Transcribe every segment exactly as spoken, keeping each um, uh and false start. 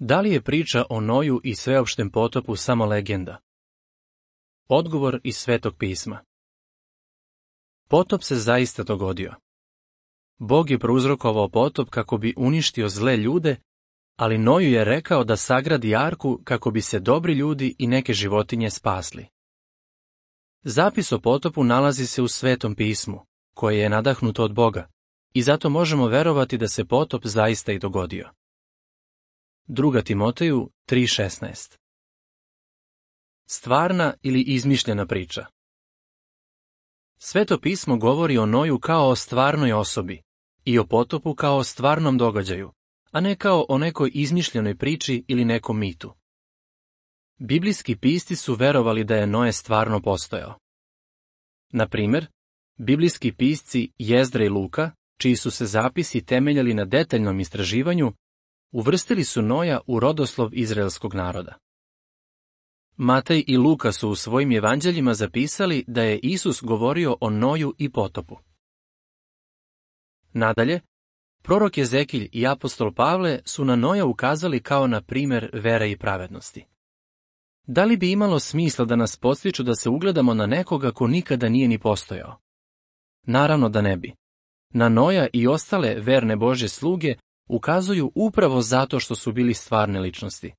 Da li je priča o Noju i sveopštem potopu samo legenda? Odgovor iz Svetog pisma. Potop se zaista dogodio. Bog je prouzrokovao potop kako bi uništio zle ljude, ali Noju je rekao da sagradi arku kako bi se dobri ljudi i neke životinje spasli. Zapis o potopu nalazi se u Svetom pismu, koje je nadahnuto od Boga, i zato možemo verovati da se potop zaista i dogodio. Druga Timoteju tri šesnaest. Stvarna ili izmišljena priča. Sveto pismo govori o Noju kao o stvarnoj osobi i o potopu kao o stvarnom događaju, a ne kao o nekoj izmišljenoj priči ili nekom mitu. Biblijski pisci su verovali da je Noe stvarno postojao. Na primjer, biblijski pisci Jezdra i Luka, čiji su se zapisi temeljali na detaljnom istraživanju, uvrstili su Noja u rodoslov izraelskog naroda. Matej i Luka su u svojim evanđeljima zapisali da je Isus govorio o Noju i potopu. Nadalje, prorok Ezekilj i apostol Pavle su na Noja ukazali kao na primjer vere i pravednosti. Da li bi imalo smisla da nas podsjeću da se ugledamo na nekoga ko nikada nije ni postojao? Naravno da ne bi. Na Noja i ostale verne Božje sluge ukazuju upravo zato što su bili stvarne ličnosti.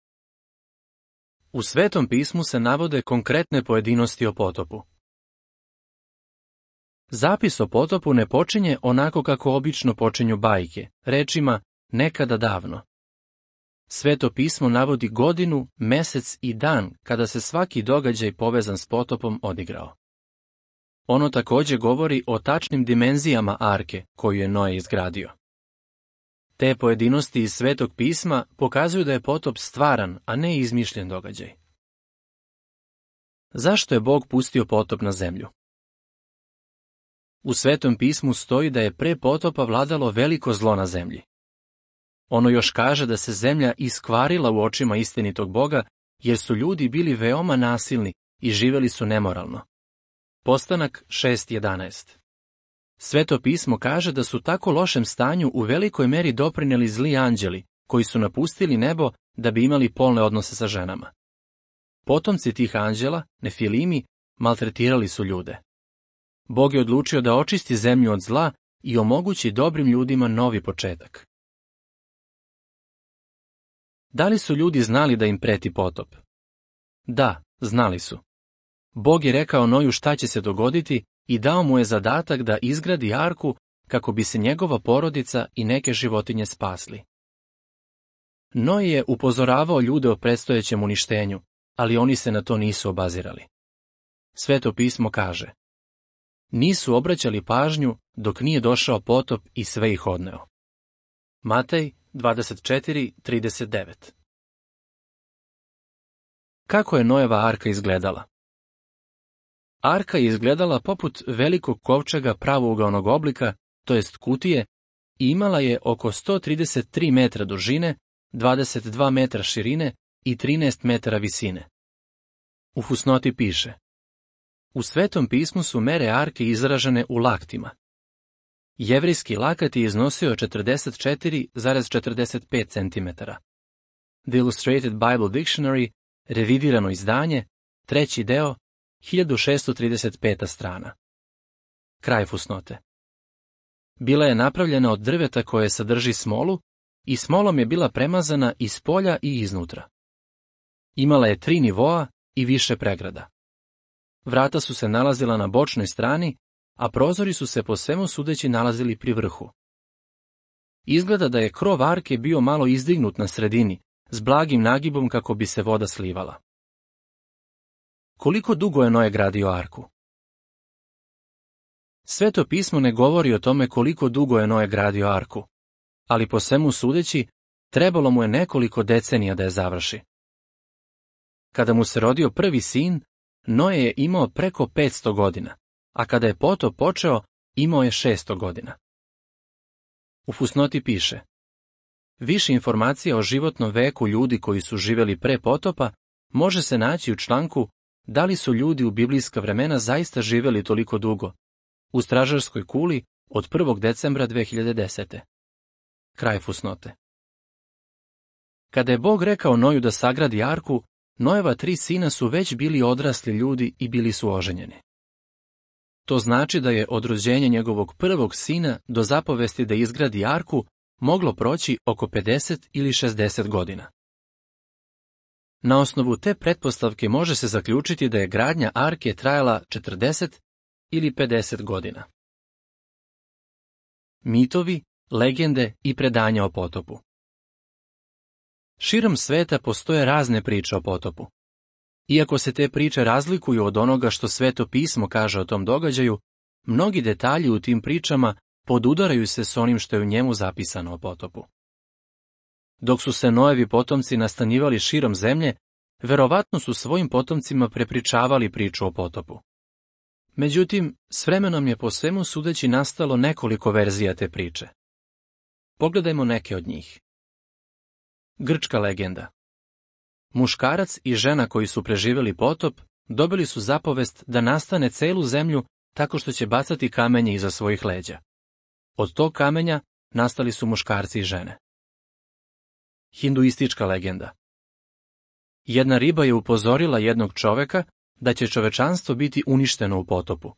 U Svetom pismu se navode konkretne pojedinosti o potopu. Zapis o potopu ne počinje onako kako obično počinju bajke, rečima nekada davno. Sveto pismo navodi godinu, mesec i dan kada se svaki događaj povezan s potopom odigrao. Ono također govori o tačnim dimenzijama arke koju je Noe izgradio. Te pojedinosti iz Svetog pisma pokazuju da je potop stvaran, a ne izmišljen događaj. Zašto je Bog pustio potop na zemlju? U Svetom pismu stoji da je pre potopa vladalo veliko zlo na zemlji. Ono još kaže da se zemlja iskvarila u očima istinitog Boga, jer su ljudi bili veoma nasilni i živjeli su nemoralno. Postanak šest jedanaest. Sveto pismo kaže da su tako lošem stanju u velikoj meri doprinijeli zli anđeli, koji su napustili nebo da bi imali polne odnose sa ženama. Potomci tih anđela, Nefilimi, maltretirali su ljude. Bog je odlučio da očisti zemlju od zla i omogući dobrim ljudima novi početak. Da li su ljudi znali da im preti potop? Da, znali su. Bog je rekao Noju šta će se dogoditi i dao mu je zadatak da izgradi arku kako bi se njegova porodica i neke životinje spasli. Noe je upozoravao ljude o predstojećem uništenju, ali oni se na to nisu obazirali. Sveto pismo kaže: nisu obraćali pažnju dok nije došao potop i sve ih odneo. Matej dvadeset četiri trideset devet. Kako je Noeva arka izgledala? Arka je izgledala poput velikog kovčega pravougaonog oblika, to jest kutije, i imala je oko sto trideset tri metra dužine, dvadeset dva metra širine i trinaest metara visine. U fusnoti piše: u Svetom pismu su mere arke izražene u laktima. Jevrijski lakat je iznosio četrdeset četiri zarez četrdeset pet centimetara. The Illustrated Bible Dictionary, revidirano izdanje, treći deo, hiljadu šessto trideset peta strana. Kraj fusnote. Bila je napravljena od drveta koje sadrži smolu i smolom je bila premazana iz polja i iznutra. Imala je tri nivoa i više pregrada. Vrata su se nalazila na bočnoj strani, a prozori su se po svemu sudeći nalazili pri vrhu. Izgleda da je krov arke bio malo izdignut na sredini, s blagim nagibom kako bi se voda slivala. Koliko dugo je Noe gradio arku? Sveto pismo ne govori o tome koliko dugo je Noe gradio arku, ali po svemu sudeći, trebalo mu je nekoliko decenija da je završi. Kada mu se rodio prvi sin, Noe je imao preko petsto godina, a kada je potop počeo, imao je šesto godina. U fusnoti piše: više informacija o životnom veku ljudi koji su živjeli pre potopa može se naći u članku Da li su ljudi u biblijska vremena zaista živjeli toliko dugo? U stražarskoj kuli od prvog decembra dve hiljade desete. Kraj fusnote. Kada je Bog rekao Noju da sagradi arku, Nojeva tri sina su već bili odrasli ljudi i bili su oženjeni. To znači da je od rođenja njegovog prvog sina do zapovesti da izgradi arku moglo proći oko pedeset ili šezdeset godina. Na osnovu te pretpostavke može se zaključiti da je gradnja arke trajala četrdeset ili pedeset godina. Mitovi, legende i predanja o potopu. Širom sveta postoje razne priče o potopu. Iako se te priče razlikuju od onoga što Sveto pismo kaže o tom događaju, mnogi detalji u tim pričama podudaraju se s onim što je u njemu zapisano o potopu. Dok su se Nojevi potomci nastanjivali širom zemlje, verovatno su svojim potomcima prepričavali priču o potopu. Međutim, s vremenom je po svemu sudeći nastalo nekoliko verzija te priče. Pogledajmo neke od njih. Grčka legenda. Muškarac i žena koji su preživjeli potop dobili su zapovest da nastane celu zemlju tako što će bacati kamenje iza svojih leđa. Od tog kamenja nastali su muškarci i žene. Hinduistička legenda. Jedna riba je upozorila jednog čoveka da će čovečanstvo biti uništeno u potopu.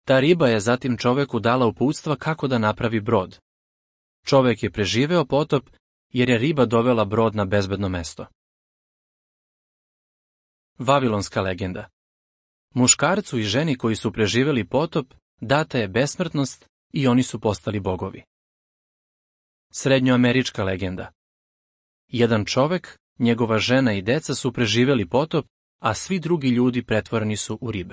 Ta riba je zatim čoveku dala uputstva kako da napravi brod. Čovek je preživeo potop jer je riba dovela brod na bezbedno mesto. Vavilonska legenda. Muškarcu i ženi koji su preživeli potop data je besmrtnost i oni su postali bogovi. Srednjoamerička legenda. Jedan čovek, njegova žena i deca su preživeli potop, a svi drugi ljudi pretvoreni su u ribe.